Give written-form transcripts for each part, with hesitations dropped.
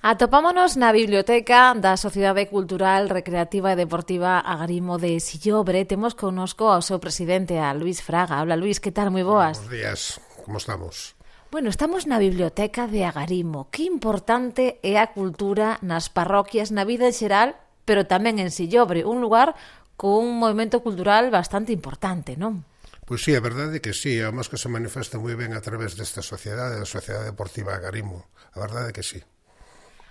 Atopámonos na biblioteca da Sociedade Cultural, Recreativa e Deportiva Agarimo de Sillobre. Temos connosco ao seu presidente, a Luís Fraga. Hola Luís, que tal? Moi boas. Buenos días, como estamos? Bueno, estamos na biblioteca de Agarimo. Que importante é a cultura nas parroquias, na vida en xeral, pero tamén en Sillobre, un lugar con un movimento cultural bastante importante, non? Pois sí, a verdade é que sí, además que se manifesta moi ben a través desta sociedade, da Sociedade Deportiva Agarimo. A verdade é que sí.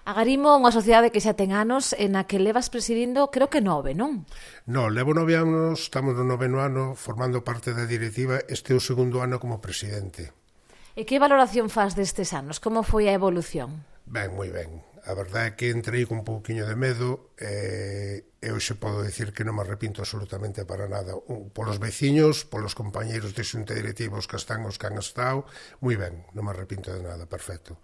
Agarimo é unha sociedade que xa ten anos e na que levas presidindo, creo que 9, non? Non, levo 9 anos, estamos no 9º ano formando parte da directiva, este é o segundo ano como presidente. E que valoración faz destes anos? Como foi a evolución? Ben, moi ben. A verdade é que entrei con un pouquiño de medo e hoxe podo dicir que non me arrepinto absolutamente para nada. Polos veciños, polos compañeiros de xunta directivos que están os que han estado, moi ben, non me arrepinto de nada, perfecto.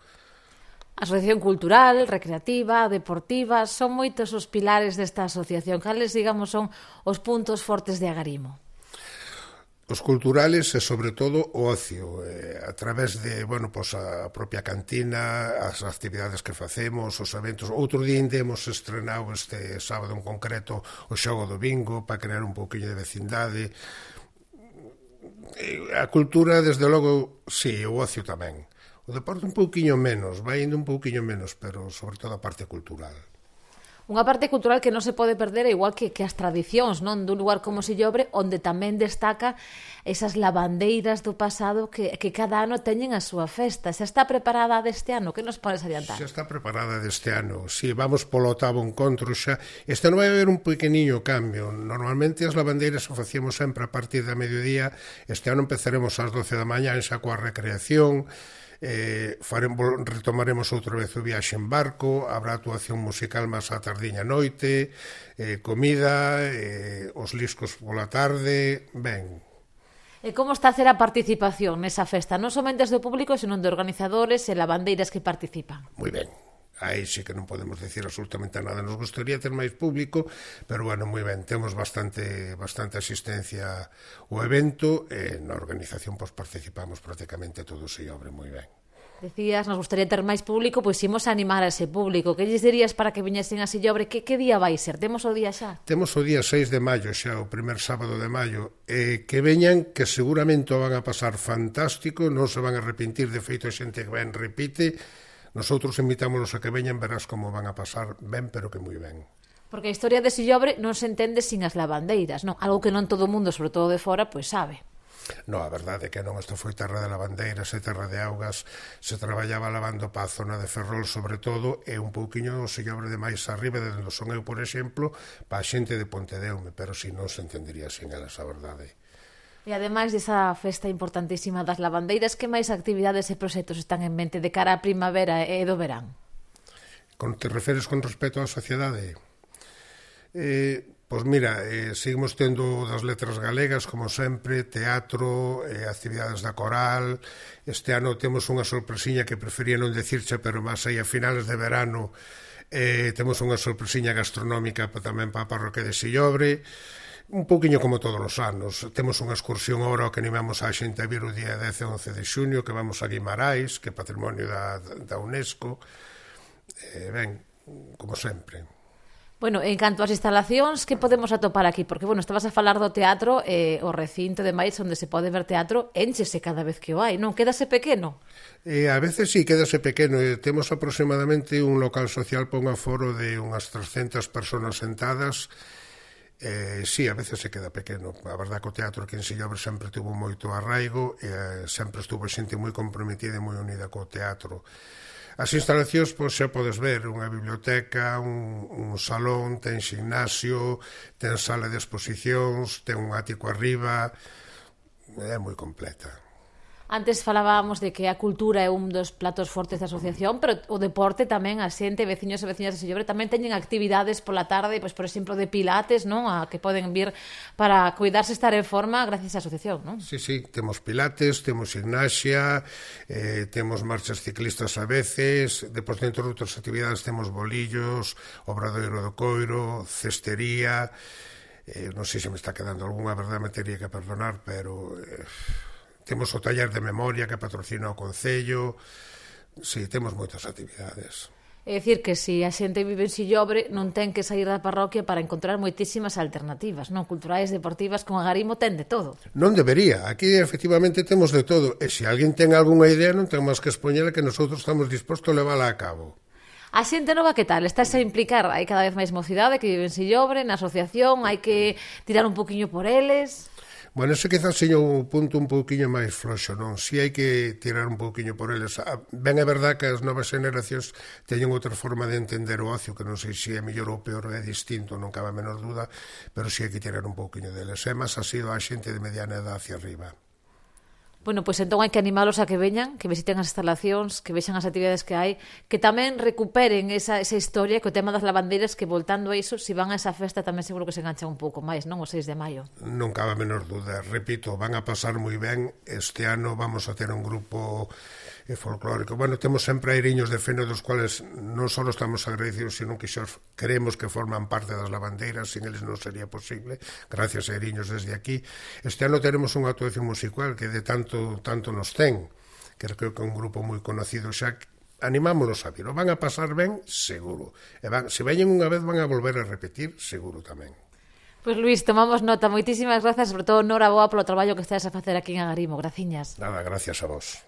Asociación cultural, recreativa, deportiva, son moitos os pilares desta asociación. Cales, digamos, son os puntos fortes de Agarimo? Os culturales e, sobre todo, o ocio, a través de, bueno, pues, a propia cantina, as actividades que facemos, os eventos. Outro día hemos estrenado este sábado en concreto o xogo do bingo para crear un pouquinho de vecindade. A cultura, desde logo, sí, o ocio tamén. O deporte un pouquiño menos, vai indo un pouquiño menos, pero sobre todo a parte cultural. Unha parte cultural que non se pode perder, igual que as tradicións, non, dun lugar como Sillobre, onde tamén destaca esas lavandeiras do pasado que cada ano teñen a súa festa. Xa está preparada deste ano? Que nos podes adiantar? Xa está preparada deste ano. Si, vamos polo 8º encontro xa. Este ano vai haber un pequeniño cambio. Normalmente as lavandeiras o facíamos sempre a partir da mediodía. Este ano empezaremos ás 12 da mañá xa coa recreación. Retomaremos outra vez o viaxe en barco, habrá actuación musical máis á tardiña noite, comida, os liscos pola tarde, ben. E como está a ser a participación nesa festa? Non somente do público, senón de organizadores e lavandeiras que participan. Moi ben. Aí sí que non podemos decir absolutamente nada. Nos gustaría ter máis público, pero bueno, moi ben, temos bastante asistencia ao evento e na organización pois participamos prácticamente todos e obre moi ben. Decías, nos gustaría ter máis público, pois imos animar a ese público. Que lles dirías para que viñesen a Sillobre? Que día vai ser? Temos o día xa? Temos o día 6 de maio xa, o primer sábado de maio, que veñan, que seguramente o van a pasar fantástico, non se van a arrepentir, de feito a xente que ven repite. Nosotros invitámonos a que veñan, verás como van a pasar ben, pero que moi ben. Porque a historia de Sillobre non se entende sin as lavandeiras, non? Algo que non todo o mundo, sobre todo de fora, pois sabe. Non, a verdade é que non, isto foi terra de lavandeiras e terra de augas, se traballaba lavando para a zona de Ferrol, sobre todo, e un pouquiño o Sillobre de máis arriba, de onde son eu, por exemplo, para a xente de Pontedeume, pero si non se entendería sin elas, a verdade. E ademais desa festa importantísima das lavandeiras, que máis actividades e proxectos están en mente de cara á primavera e do verán? Te referes con respecto á sociedade? Pois mira, seguimos tendo das letras galegas, como sempre, teatro, actividades da coral. Este ano temos unha sorpresiña que prefería non decirche, pero máis aí a finales de verano temos unha sorpresiña gastronómica tamén para a parroquia de Sillobre. Un pouquiño como todos os anos. Temos unha excursión ahora que animamos a xente a vir o día 10 e 11 de xuño, que vamos a Guimarães, que é patrimonio da UNESCO. Ben, como sempre. Bueno, en canto ás instalacións, que podemos atopar aquí? Porque, bueno, estabas a falar do teatro, o recinto de máis onde se pode ver teatro, énchese cada vez que o hai, non? Quédase pequeno? A veces sí, quédase pequeno. Temos aproximadamente un local social para un aforo de unhas 300 personas sentadas. Sí, a veces se queda pequeno. A verdade que o teatro aquí en Sillobre sempre tuvo moito arraigo e sempre estuvo xente moi comprometida e moi unida co teatro. As instalacións, pois, xa podes ver, unha biblioteca, un salón, ten gimnasio, ten sala de exposicións, ten un ático arriba, é moi completa. Antes falábamos de que a cultura é un dos platos fortes da asociación, pero o deporte tamén, a xente, veciños e veciñas de Sillobre tamén teñen actividades pola tarde, pois, por exemplo, de pilates, non? A que poden vir para cuidarse, estar en forma gracias á asociación, non? Sí, temos pilates, temos gimnasia, temos marchas ciclistas a veces, depois dentro de outras actividades temos bolillos, obradoiro do coiro, cestería, non sei se me está quedando algunha, verdade me teria que perdonar, pero... Temos o taller de memoria que patrocina o Concello. Sí, temos moitas actividades. É dicir que se a xente vive en Sillobre non ten que sair da parroquia para encontrar moitísimas alternativas, non culturais, deportivas, con Agarimo ten de todo. Non debería, aquí efectivamente temos de todo, e se alguén ten algunha idea non ten máis que expoñela que nosotros estamos dispostos a levála a cabo. A xente nova que tal? Estás a implicar? Hai cada vez máis mocidade que vive en Sillobre, na asociación, hai que tirar un poquinho por eles... Bueno, ese quizás seña un punto un pouquiño máis floxo, non? Si hai que tirar un pouquiño por eles. Ben é verdad que as novas generacións teñen outra forma de entender o ocio, que non sei se é mellor ou peor, é distinto, non cabe a menor duda, pero si hai que tirar un pouquiño deles. É máis así a xente de mediana edad hacia arriba. Bueno, pois entón hai que animalos a que veñan, que visiten as instalacións, que vexan as actividades que hai, que tamén recuperen esa historia, que o tema das lavandeiras, que voltando a iso, se van a esa festa tamén seguro que se enganchan un pouco máis, non? O 6 de maio. Non cabe a menor duda. Repito, van a pasar moi ben. Este ano vamos a ter un grupo folclórico. Bueno, temos sempre airiños de feno dos cuales non só estamos agradecidos, sino que xa creemos que forman parte das lavandeiras, sin eles non sería posible. Gracias a airiños desde aquí. Este ano teremos unha actuación musical que de tanto nos ten, que creo que é un grupo moi conocido xa. Animámonos a vir, o van a pasar ben, seguro, e se veñen unha vez van a volver a repetir, seguro tamén. Pois Luís, tomamos nota, moitísimas grazas, sobre todo Nora Boa polo traballo que estás a facer aquí en Agarimo, graciñas. Nada, gracias a vos.